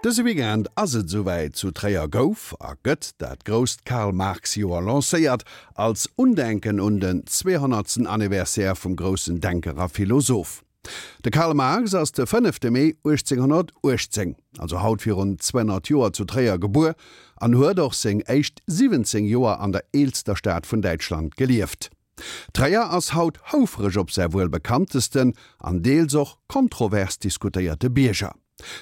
Dëse Weekend ass et esouwäit, Zu Tréier gouf a gëtt dat grousst Karl-Marx-Joer lancéiert, als Undenken un den 200. Anniversaire vum groussen Denker a Philosoph. De Karl Marx ass de fënnefte Mee 1818, also haut virun 200 Joer zu Tréier gebuer an huet och seng éischt 17 Joer an der eelster Stad vun Däitschland gelieft. Tréier ass haut houfreg op säi wuel bekanntesten an deels och kontrovers diskutéierte Bierger.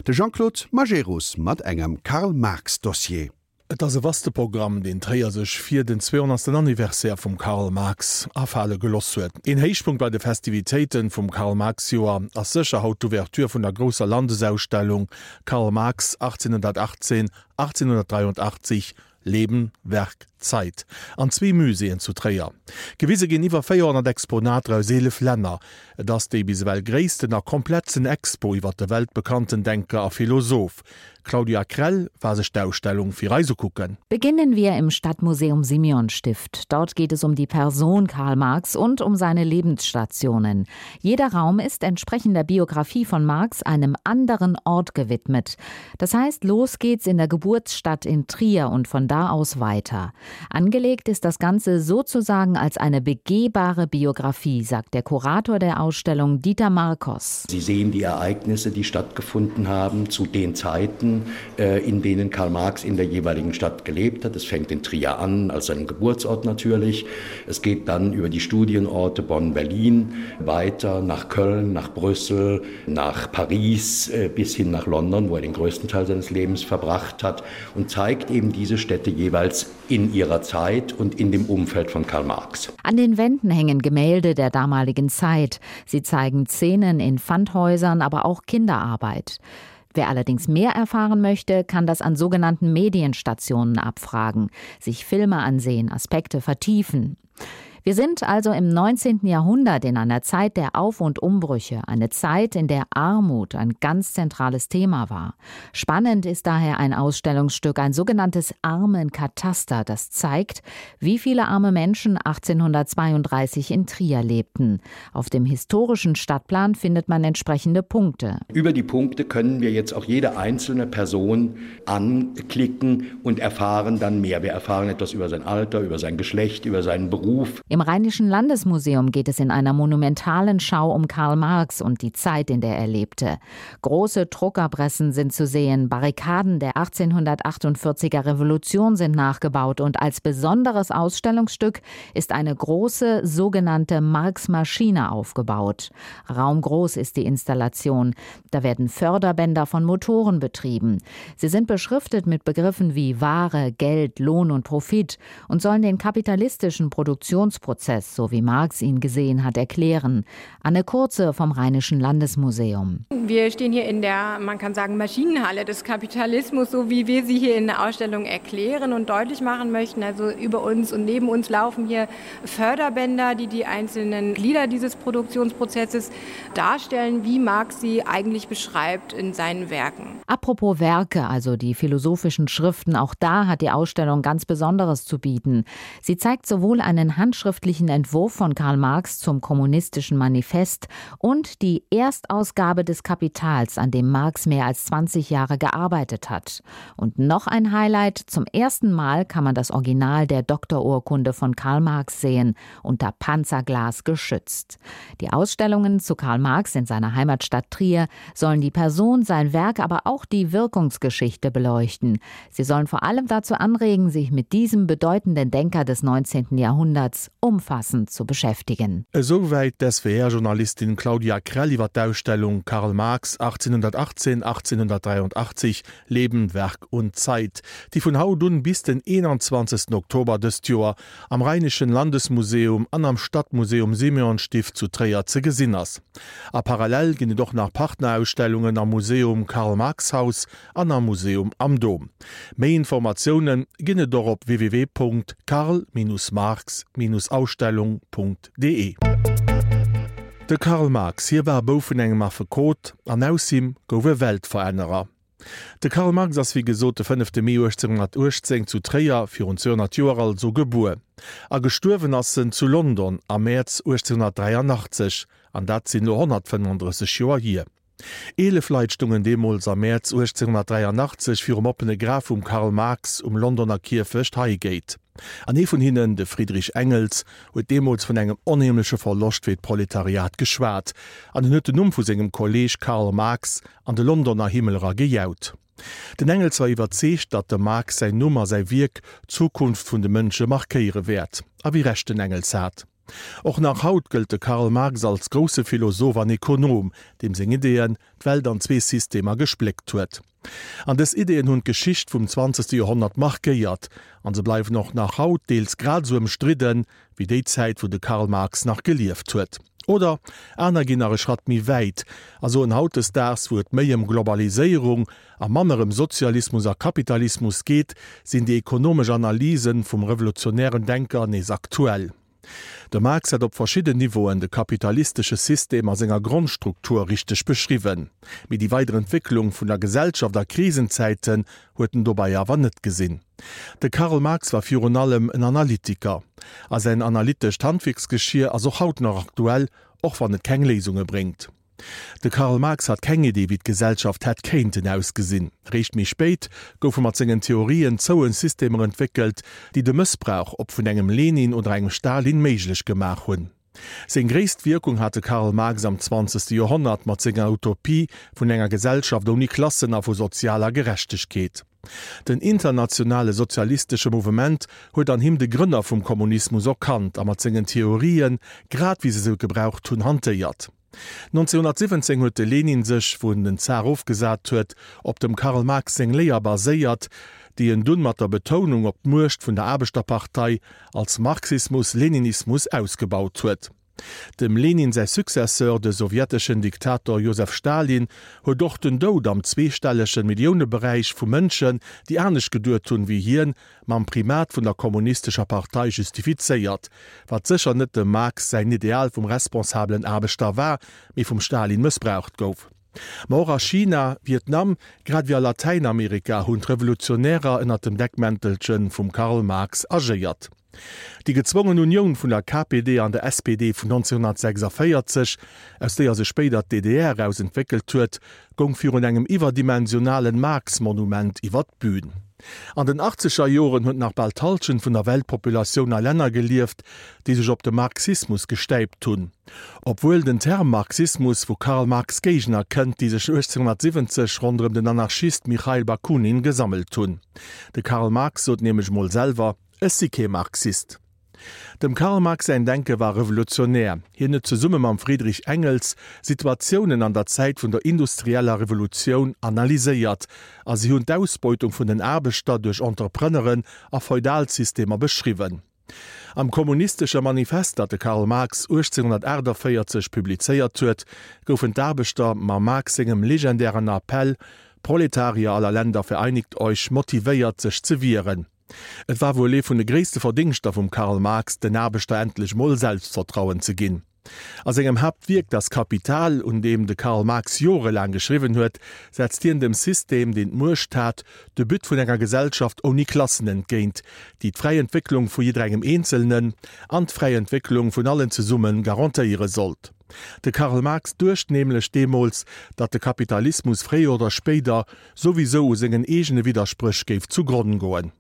De Jean-Claude Majerus mat engem Karl-Marx-Dossier. Et ass e vaste Programm, deen Tréier sech fir den 200. Anniversaire vum Karl Marx afale geloss huet. Een Héichpunkt bei de Festivitéiten vum Karl-Marx-Joer ass sécher haut d'Ouverture vun der grousser Landesausstellung Karl Marx 1818, 1883, Leben, Werk, Zeit an zwee Muséeën zu Tréier. Gewise ginn iwwer 400 Exponater aus 11 Länner. Et ass déi bis ewell gréissten a komplettsten Expo iwwer de weltbekannten Denker a Philosoph. Claudia Krell war sech d'Ausstellung fir eis ukucken. Beginnen wir im Stadtmuseum Simeonstift. Dort geht es um die Person Karl Marx und um seine Lebensstationen. Jeder Raum ist entsprechend der Biografie von Marx einem anderen Ort gewidmet. Das heißt, los geht's in der Geburtsstadt in Trier und von da aus weiter. Angelegt ist das Ganze sozusagen als eine begehbare Biografie, sagt der Kurator der Ausstellung Dieter Marcos. Sie sehen die Ereignisse, die stattgefunden haben zu den Zeiten, äh, in denen Karl Marx in der jeweiligen Stadt gelebt hat. Es fängt in Trier an, als seinem Geburtsort natürlich. Es geht dann über die Studienorte Bonn, Berlin, weiter nach Köln, nach Brüssel, nach Paris äh, bis hin nach London, wo er den größten Teil seines Lebens verbracht hat und zeigt eben diese Städte jeweils in ihrer Zeit und in dem Umfeld von Karl Marx. An den Wänden hängen Gemälde der damaligen Zeit. Sie zeigen Szenen in Pfandhäusern, aber auch Kinderarbeit. Wer allerdings mehr erfahren möchte, kann das an sogenannten Medienstationen abfragen, sich Filme ansehen, Aspekte vertiefen. Wir sind also im 19. Jahrhundert in einer Zeit der Auf- und Umbrüche, eine Zeit, in der Armut ein ganz zentrales Thema war. Spannend ist daher ein Ausstellungsstück, ein sogenanntes Armenkataster, das zeigt, wie viele arme Menschen 1832 in Trier lebten. Auf dem historischen Stadtplan findet man entsprechende Punkte. Über die Punkte können wir jetzt auch jede einzelne Person anklicken und erfahren dann mehr. Wir erfahren etwas über sein Alter, über sein Geschlecht, über seinen Beruf. Im Rheinischen Landesmuseum geht es in einer monumentalen Schau um Karl Marx und die Zeit, in der er lebte. Große Druckerpressen sind zu sehen, Barrikaden der 1848er Revolution sind nachgebaut und als besonderes Ausstellungsstück ist eine große sogenannte Marx-Maschine aufgebaut. Raumgroß ist die Installation. Da werden Förderbänder von Motoren betrieben. Sie sind beschriftet mit Begriffen wie Ware, Geld, Lohn und Profit und sollen den kapitalistischen Produktionsprozess, so wie Marx ihn gesehen hat, erklären. Anne Kurze vom Rheinischen Landesmuseum. Wir stehen hier in der, man kann sagen, Maschinenhalle des Kapitalismus, so wie wir sie hier in der Ausstellung erklären und deutlich machen möchten. Also über uns und neben uns laufen hier Förderbänder, die die einzelnen Glieder dieses Produktionsprozesses darstellen, wie Marx sie eigentlich beschreibt in seinen Werken. Apropos Werke, also die philosophischen Schriften, auch da hat die Ausstellung ganz Besonderes zu bieten. Sie zeigt sowohl einen handschriftlichen Entwurf von Karl Marx zum kommunistischen Manifest und die Erstausgabe des Kapitals, an dem Marx mehr als 20 Jahre gearbeitet hat. Und noch ein Highlight: Zum ersten Mal kann man das Original der Doktorurkunde von Karl Marx sehen, unter Panzerglas geschützt. Die Ausstellungen zu Karl Marx in seiner Heimatstadt Trier sollen die Person, sein Werk, aber auch die Wirkungsgeschichte beleuchten. Sie sollen vor allem dazu anregen, sich mit diesem bedeutenden Denker des 19. Jahrhunderts umfassend zu beschäftigen. Esouwäit d'SWR-Journalistin Claudia Krell iwwer d'Ausstellung Karl Marx 1818, 1883, Leben, Werk und Zeit, déi vun haut un bis den 21. Oktober dëst Joer am Rheinischen Landesmuseum an am Stadtmuseum Simeonstift zu Tréier ze gesinn ass. A parallel ginn et och nach Partnerausstellungen am Museum Karl-Marx-Haus an am Museum am Dom. Méi Informatioune ginn et och op www.karl-marx-ausstellung.de. De Karl Marx, hie war Bouf vun engem Affekot an aus him gouf e Weltverännerer. De Karl Marx ass wéi gesot de fënnefte Mee 1818 zu Tréier, virun 200 Joer also, gebuer. A gestuerwen ass en zu London am Mäerz 1883, an dat sinn elo 135 Joer hier. 11 Leit stungen deemools am Mäerz 1883 virum oppene Graf vum Karl Marx um Londoner Kierfecht Highgate. An ee vun hinnen, de Friedrich Engels, huet deemools vun engem onheemleche Verloscht fir d'Proletariat geschwat an en huet den Numm vu sengem Kolleeg Karl Marx an de Londoner Himmel era gejaut. Den Engels war iwwerzeegt, datt dem Marx säin Numm a säi Wierk d'Zukunft vun de Mënsche markéiere wäert. A wéi Recht den Engels hat. Och nach haut gëllt de Karl Marx als grousse Philosoph an Ekonom, deem seng Ideeën d'Welt an zwee Systemer gespléckt huet. An dës Ideeën hunn d'Geschicht vum zwanzegste Joerhonnert markéiert an se bleiwen och nach haut deels grad esou ëmstridden, wéi déi Zäit wou de Karl Marx nach gelieft huet. Oder aner ginn nach e Schratt méi wäit a soen, hautdesdaags wou et méi ëm Globaliséierung a manner ëm Sozialismus a Kapitalismus geet, sinn déi ekonomesch Analysen vum revolutionären Denker nees aktuell. De Marx hat op verschidden Niveauen de kapitalistesche System a senger Grondstruktur richteg beschriwwen, mee déi weider Entwécklung vun der Gesellschaft a Krisenzäiten huet en dobei awer net gesinn. De Karl Marx war virun allem en Analytiker, a säin analytescht Handwierksgeschier ass och haut nach aktuell, och wann et keng Léisunge bréngt. De Karl Marx hat keng Idee wéi d'Gesellschaft hätt kéinten ausgesinn. Réischt méi spéit goufe mat sengen Theorien zouen Systemer entwéckelt, déi de Mëssbrauch, ob vun engem Lenin oder engem Stalin, méiglech gemaach hunn. Seng gréisst Wierkung hat de Karl Marx am zwanzegste Joerhonnert mat senger Utopie vun enger Gesellschaft ouni Klassen a vu sozialer Gerechtegkeet. Den internationale sozialistesche Mouvement huet an him de Grënner vum Kommunismus erkannt a mat sengen Theorien, grad wéi se se gebraucht hunn, hantéiert. 1917 huet de Lenin sech, wou en den Zar ofgesat huet, op dem Karl Marx seng Léier baséiert, déi en dunn mat der Betounung op d'Muecht vun der Aarbechterpartei als Marxismus-Leninismus ausgebaut huet. Dem Lenin säi Successeur, de sowjeteschen Diktator Josef Stalin, huet och den Doud am zweestellege Milliouneberäich vu Mënschen, déi anescht geduet hunn wéi hien, mam Primat vun der kommunistescher Partei justifizéiert, wat sécher net dem Marx säin Ideal vum responsabelen Aarbechter war, mee vum Stalin mëssbraucht gouf. Ma och a China, Vietnam, grad ewéi a Latäinamerika hunn d'Revolutionärer ënner dem Deckmäntelche vum Karl Marx agéiert. Déi gezwongen Unioun vun der KPD an der SPD vun 1946, aus déier sech spéider d'DDR eraus entwéckelt huet, goung virun engem iwwerdimensionalen Marx-Monument iwwer d'Bün. An den achtzeger Joren huet nach bal d'Hallschent vun der Weltpopulatioun a Länner gelieft, déi sech op de Marxismus gestäipt hunn. Obwuel den Term Marxismus vu Karl Marx Géigner kënnt, déi sech 1870 ronderëm den Anarchist Michail Bakunin gesammelt hunn. De Karl Marx sot nämlech mol selwer, Ech si kee Marxist. Dem Karl Marx säin Denke war revolutionär. Hien huet zesumme mam Friedrich Engels Situatiounen an der Zäit vun der industrieller Revolutioun analyséiert a si hunn d'Ausbeutung vun den Aarbechter duerch Entrepreneuren a Feudalsystemer beschriwwen. Am Kommunistesche Manifest, dat de Karl Marx 1848 publizéiert huet, goufen d'Aarbechter mam Marx sengem legendären Appell Proletarier aller Länder vereinigt euch motivéiert sech ze wieren. Et war wuel ee vun de gréisste Verdéngschter vum Karl Marx, den Aarbechter endlech mol Selbstvertrauen ze ginn. A sengem Haaptwierk Das Kapital, un deem de Karl Marx jorelaang geschriwwen huet, setzt hien dem System, deen d'Muecht hat, de But vun enger Gesellschaft ouni Klassen entgéint, déi d'fräi Entwécklung vu jidderengem Eenzelnen an d'fräi Entwécklung vun allen zesumme garantéiere sollt. De Karl Marx duecht nämlech deemools, datt de Kapitalismus fréier oder spéider souwisou u sengen eegene Widderspréch géif zu Gronn goen.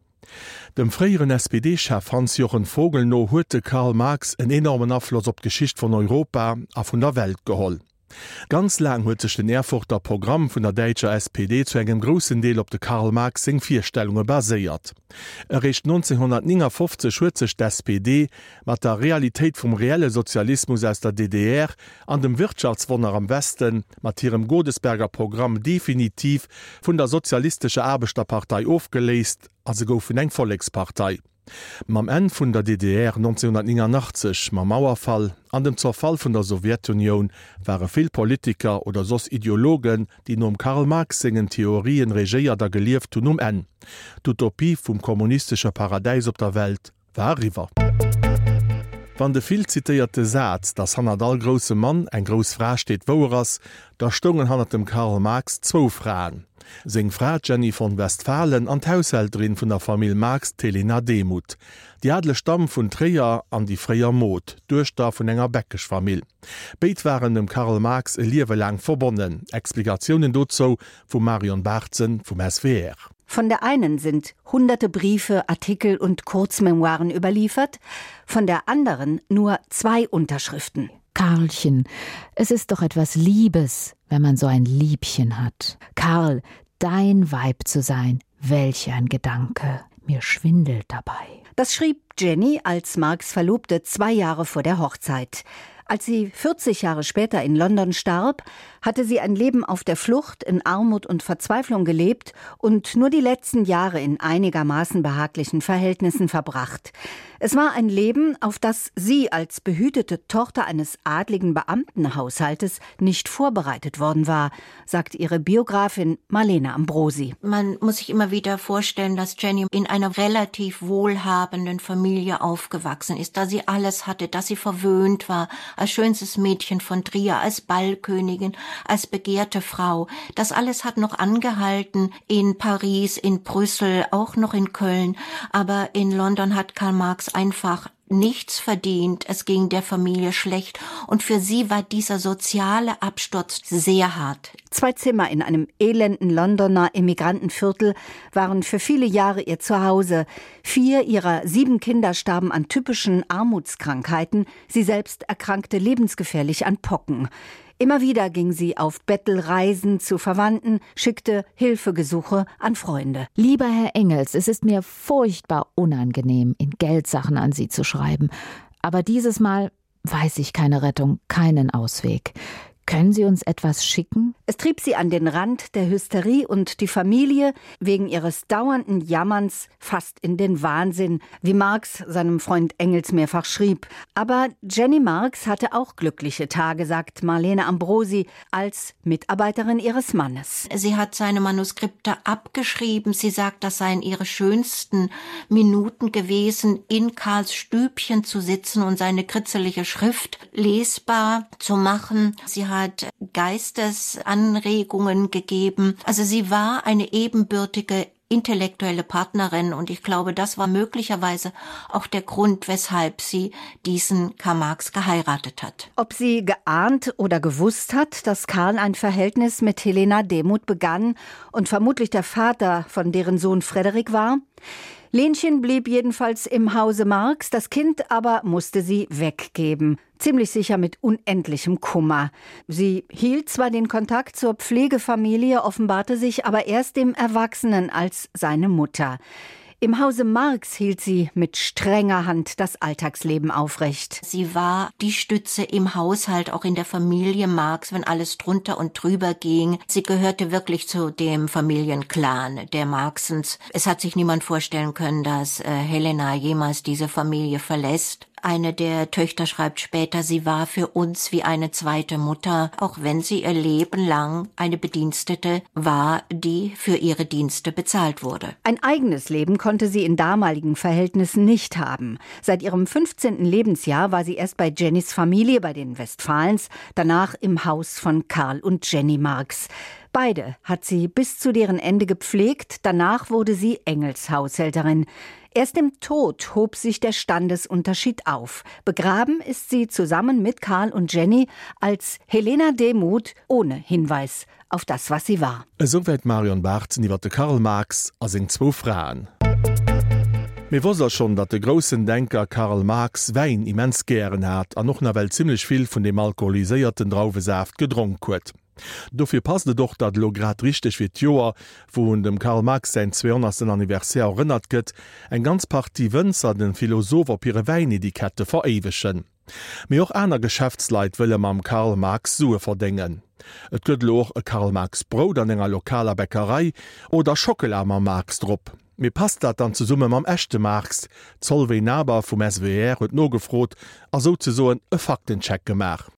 Dem fréieren SPD-Chef Hans-Jochen Vogel no huet de Karl Marx en enormen Afloss op d'Geschicht vun Europa a vun der Welt geholl. Ganz laang huet sech den Erfurter Programm vun der däitscher SPD zu engem groussen Deel op de Karl Marx seng Virstellunge baséiert. Eréischt 1959 huet sech d'SPD mat der Realitéit vum reelle Sozialismus aus der DDR an dem Wirtschaftswonner am Westen mat hirem Godesberger Programm definitiv vun der Sozialistescher Aarbechterpartei ofgeléist a se goufen eng Vollekspartei. Mam Enn vun der DDR 1989, mam Mauerfall an dem Zerfall vun der Sowjetunioun ware vill Politiker oder soss Ideologen, déi nom Karl Marx sengen Theorien regéiert a gelieft hunn, um Enn. D'Utopie vum kommunistesche Paradäis op der Welt war eriwwer. Wann de vill zitéierte Saz, dass hannert all groussem Mann eng grouss Fra steet, wouer ass, da stoungen hannert dem Karl Marx zwou Fraen, seng Fra d'Jenny von Westphalen an d'Haushälterin vun der Famill Marx, d'Helena Demuth, déi adeleg Damm vun Tréier an déi fréier Mod, d'Duechter vun enger Bäckeschfamill. Béid waren dem Karl Marx e Liewe laang verbonnen. Explikatiounen dozou vum Marion Barzen vum SWR. Von der einen sind hunderte Briefe, Artikel und Kurzmemoiren überliefert, von der anderen nur zwei Unterschriften. Karlchen, es ist doch etwas Liebes, wenn man so ein Liebchen hat. Karl, dein Weib zu sein, welch ein Gedanke, mir schwindelt dabei. Das schrieb Jenny als Marx Verlobte zwei Jahre vor der Hochzeit. Als sie 40 Jahre später in London starb, hatte sie ein Leben auf der Flucht in Armut und Verzweiflung gelebt und nur die letzten Jahre in einigermaßen behaglichen Verhältnissen verbracht. Es war ein Leben, auf das sie als behütete Tochter eines adligen Beamtenhaushaltes nicht vorbereitet worden war, sagt ihre Biografin Marlene Ambrosi. Man muss sich immer wieder vorstellen, dass Jenny in einer relativ wohlhabenden Familie aufgewachsen ist, da sie alles hatte, dass sie verwöhnt war, als schönstes Mädchen von Trier, als Ballkönigin, als begehrte Frau. Das alles hat noch angehalten in Paris, in Brüssel, auch noch in Köln, aber in London hat Karl Marx einfach nichts verdient, es ging der Familie schlecht und für sie war dieser soziale Absturz sehr hart. Zwei Zimmer in einem elenden Londoner Immigrantenviertel waren für viele Jahre ihr Zuhause. Vier ihrer sieben Kinder starben an typischen Armutskrankheiten, sie selbst erkrankte lebensgefährlich an Pocken. Immer wieder ging sie auf Bettelreisen zu Verwandten, schickte Hilfegesuche an Freunde. Lieber Herr Engels, es ist mir furchtbar unangenehm, in Geldsachen an Sie zu schreiben. Aber dieses Mal weiß ich keine Rettung, keinen Ausweg. Können Sie uns etwas schicken? Es trieb sie an den Rand der Hysterie und die Familie wegen ihres dauernden Jammerns fast in den Wahnsinn, wie Marx seinem Freund Engels mehrfach schrieb. Aber Jenny Marx hatte auch glückliche Tage, sagt Marlene Ambrosi als Mitarbeiterin ihres Mannes. Sie hat seine Manuskripte abgeschrieben. Sie sagt, das seien ihre schönsten Minuten gewesen, in Karls Stübchen zu sitzen und seine kritzelige Schrift lesbar zu machen. Sie hat Geistesanregungen gegeben. Also sie war eine ebenbürtige intellektuelle Partnerin und ich glaube, das war möglicherweise auch der Grund, weshalb sie diesen Karl Marx geheiratet hat. Ob sie geahnt oder gewusst hat, dass Karl ein Verhältnis mit Helena Demuth begann und vermutlich der Vater von deren Sohn Frederik war? Lenchen blieb jedenfalls im Hause Marx, das Kind aber musste sie weggeben. Ziemlich sicher mit unendlichem Kummer. Sie hielt zwar den Kontakt zur Pflegefamilie, offenbarte sich aber erst dem Erwachsenen als seine Mutter. Im Hause Marx hielt sie mit strenger Hand das Alltagsleben aufrecht. Sie war die Stütze im Haushalt, auch in der Familie Marx, wenn alles drunter und drüber ging. Sie gehörte wirklich zu dem Familienclan der Marxens. Es hat sich niemand vorstellen können, dass äh, Helena jemals diese Familie verlässt. Eine der Töchter schreibt später, sie war für uns wie eine zweite Mutter, auch wenn sie ihr Leben lang eine Bedienstete war, die für ihre Dienste bezahlt wurde. Ein eigenes Leben konnte sie in damaligen Verhältnissen nicht haben. Seit ihrem 15. Lebensjahr war sie erst bei Jennys Familie bei den Westfalens, danach im Haus von Karl und Jenny Marx. Beide hat sie bis zu deren Ende gepflegt, danach wurde sie Engelshaushälterin. Erst im Tod hob sich der Standesunterschied auf. Begraben ist sie zusammen mit Karl und Jenny als Helena Demuth ohne Hinweis auf das, was sie war. Esouwäit d'Marion Barzen iwwer de Karl Marx a seng zwou Fraen. Mee wosst der schonn, datt de groussen Denker Karl Marx Wäin immens gären hat an och nawell zimmlech vill vun deem alkoholiséierten Drauwesaaft gedronk huet? Dofir passt et och, datt elo grad richteg fir d'Joer, wou un dem Karl Marx säin 200. Anniversaire erënnert gëtt, eng ganz Partie Wënzer de Philosoph op hire Wäinetikette veréiwegen. Mee och aner Geschäftsleit wëlle mam Karl Marx Sue verdéngen. Et gëtt elo och e Karl Marx Brout an enger lokaler Bäckerei oder Schockela mam Marx drop. Mee passt dat dann zesumme mam echte Marx? D'Solveig Naber vum SWR huet nogefrot a souzesoen e Faktencheck gemaach.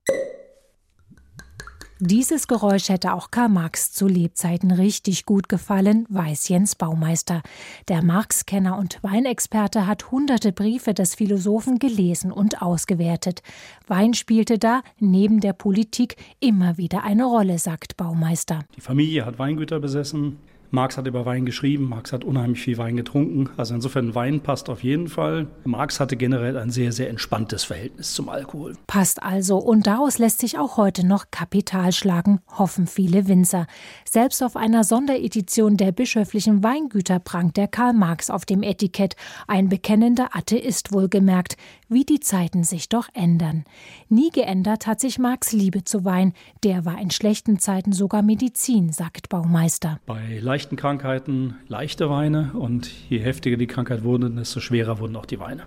Dieses Geräusch hätte auch Karl Marx zu Lebzeiten richtig gut gefallen, weiß Jens Baumeister. Der Marx-Kenner und Weinexperte hat hunderte Briefe des Philosophen gelesen und ausgewertet. Wein spielte da neben der Politik immer wieder eine Rolle, sagt Baumeister. Die Familie hat Weingüter besessen. Marx hat über Wein geschrieben, Marx hat unheimlich viel Wein getrunken. Also insofern Wein passt auf jeden Fall. Marx hatte generell ein sehr, sehr entspanntes Verhältnis zum Alkohol. Passt also und daraus lässt sich auch heute noch Kapital schlagen, hoffen viele Winzer. Selbst auf einer Sonderedition der bischöflichen Weingüter prangt der Karl Marx auf dem Etikett. Ein bekennender Atheist wohlgemerkt, wie die Zeiten sich doch ändern. Nie geändert hat sich Marx Liebe zu Wein. Der war in schlechten Zeiten sogar Medizin, sagt Baumeister. Bei leichten Krankheiten leichte Weine und je heftiger die Krankheit wurde, desto schwerer wurden auch die Weine.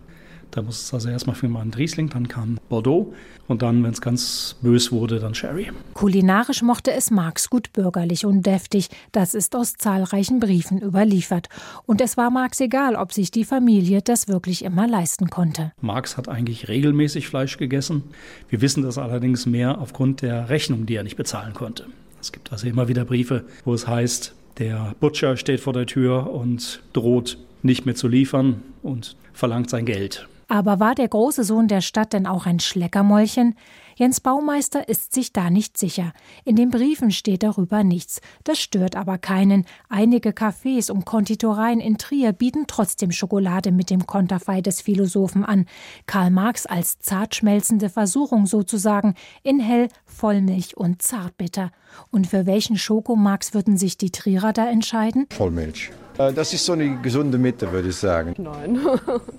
Da muss es also erstmal für mal ein Riesling, dann kam Bordeaux und dann, wenn es ganz bös wurde, dann Sherry. Kulinarisch mochte es Marx gut bürgerlich und deftig. Das ist aus zahlreichen Briefen überliefert. Und es war Marx egal, ob sich die Familie das wirklich immer leisten konnte. Marx hat eigentlich regelmäßig Fleisch gegessen. Wir wissen das allerdings mehr aufgrund der Rechnung, die er nicht bezahlen konnte. Es gibt also immer wieder Briefe, wo es heißt, der Butcher steht vor der Tür und droht nicht mehr zu liefern und verlangt sein Geld. Aber war der große Sohn der Stadt denn auch ein Schleckermäulchen? Jens Baumeister ist sich da nicht sicher. In den Briefen steht darüber nichts. Das stört aber keinen. Einige Cafés und Konditoreien in Trier bieten trotzdem Schokolade mit dem Konterfei des Philosophen an. Karl Marx als zartschmelzende Versuchung sozusagen, in hell, Vollmilch und zartbitter. Und für welchen Schokomarx würden sich die Trierer da entscheiden? Vollmilch. Äh, das ist so eine gesunde Mitte, würde ich sagen. Nein,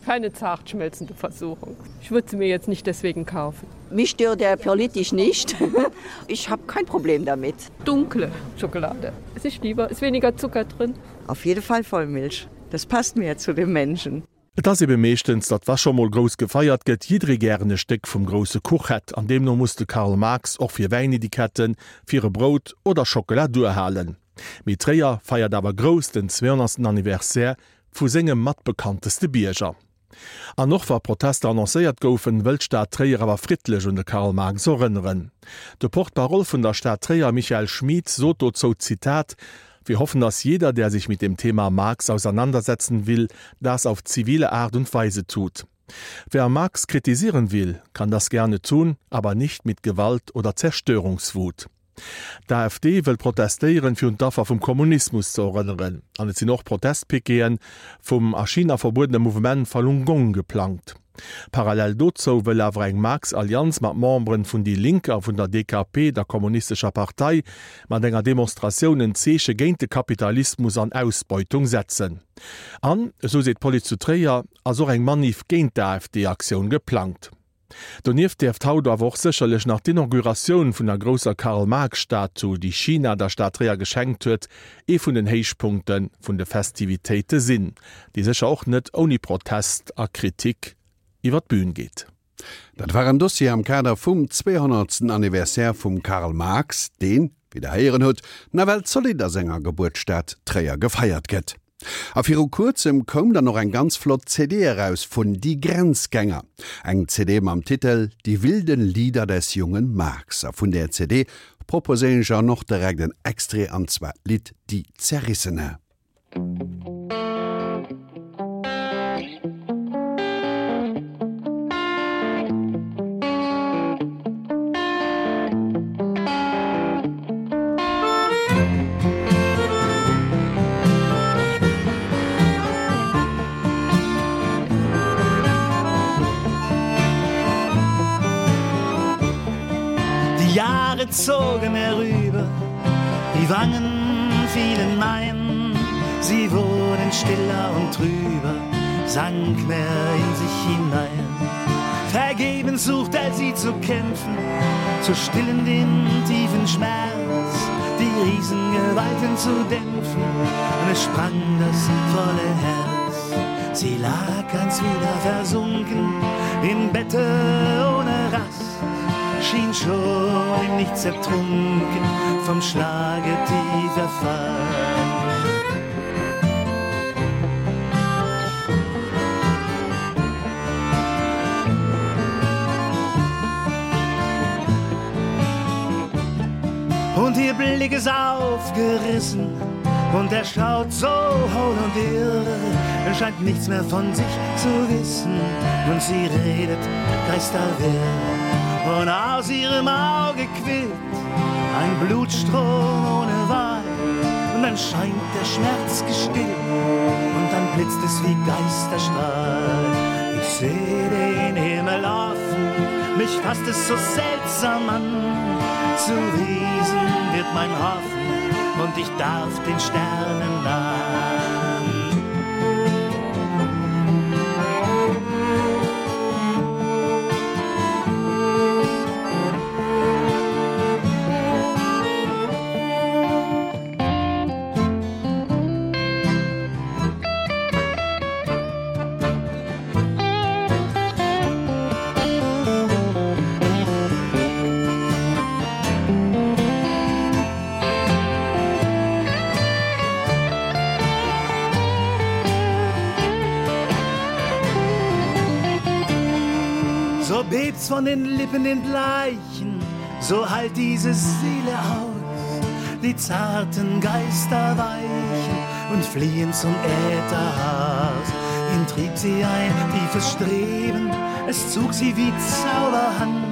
keine zart schmelzende Versuchung. Ich würde sie mir jetzt nicht deswegen kaufen. Mich stört der politisch nicht. Ich habe kein Problem damit. Dunkle Schokolade. Es ist lieber, ist weniger Zucker drin. Auf jeden Fall Vollmilch. Das passt mir zu dem Menschen. Et ass ebe meeschtens, datt wa scho mol grouss gefeiert gëtt, jidderee gären e Stéck vum grousse Kuch hätt, an deemno muss de Karl Marx och fir Wäinetiketten, fir e Brout oder Schockela duerhalen. Mee Tréier feiert awer grouss den 200. Anniversaire vu sengem mat bekannteste Bierger. An och wa Protester annoncéiert goufen, wëll d'Stad Tréier awer friddlech un de Karl Marx erënneren. De Porte-parole vun der Stad Tréier, Michael Schmid, sot dozou, Zitat, Wir hoffen, dass jeder, der sich mit dem Thema Marx auseinandersetzen will, das auf zivile Art und Weise tut. Wer Marx kritisieren will, kann das gerne tun, aber nicht mit Gewalt oder Zerstörungswut. D'AfD wëll protestéieren, fir un d'Affer vum Kommunismus ze erënneren. An et sinn och Protestpiqueten vum a China verbuedene Mouvement Falun Gong geplangt. Parallel dozou wëll awer eng Marx-Allianz mat Memberen vun déi Link a vun der DKP, der kommunistescher Partei, mat enger Demonstratioun en Zeeche géint de Kapitalismus an Ausbeutung setzen. An, esou seet d'Police zu Tréier, ass och eng Manif géint d'AfD-Aktioun geplangt. Donieft däerft haut awer och sécherlech nach d'Inauguratioun vun der grousser Karl-Marx-Statue, déi China der Stad Tréier geschenkt huet, ee vun den Héichpunkte vun de Festivitéite sinn, déi sécher och net ouni Protest a Kritik iwwer d'Bün geet. Dat war en Dossier am Kader vum 200. Anniversaire vum Karl Marx, deen, wéi der héieren hutt, nawell zolidd a senger Gebuertsstad Tréier gefeiert gëtt. A viru kuerzem koum dann och eng ganz flott CD eraus vun Die Grenzgänger. Eng CD mam Titel Die wilden Lieder des jungen Marx. A vun där CD proposéieren ech an och direkt en Extrait an zwar d'Lidd Die Zerrissene. Die Jahre zogen herüber, die Wangen fielen ein, sie wurden stiller und trüber, sank mehr in sich hinein. Vergebens sucht er sie zu kämpfen, zu stillen den tiefen Schmerz, die Riesengewalten zu dämpfen, und es sprang das volle Herz. Sie lag ganz wieder versunken im Bette ohne Rast, schien schon im Nichts ertrunken vom Schlage tief erfasst. Und ihr Blick ist aufgerissen und er schaut so hohl und irre, er scheint nichts mehr von sich zu wissen und sie redet geisterwirr. Und aus ihrem Auge quillt ein Blutstrom ohne Wahl und dann scheint der Schmerz gestillt und dann blitzt es wie Geisterstrahl. Ich sehe den Himmel offen, mich fasst es so seltsam an. Zu Riesen wird mein Hoffen und ich darf den Sternen nahen. So bebt's von den Lippen den Bleichen, so halt diese Seele aus. Die zarten Geister weichen und fliehen zum Ätherhaus. Ihn trieb sie ein tiefes Streben, es zog sie wie Zauberhand.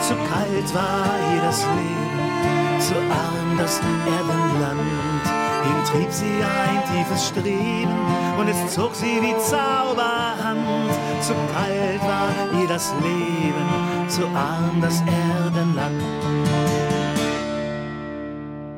Zu kalt war ihr das Leben, zu arm das Erdenland. Ihn trieb sie ein tiefes Streben und es zog sie wie Zauberhand. Zu kalt war ihr das Leben, zu arm das Erdenland.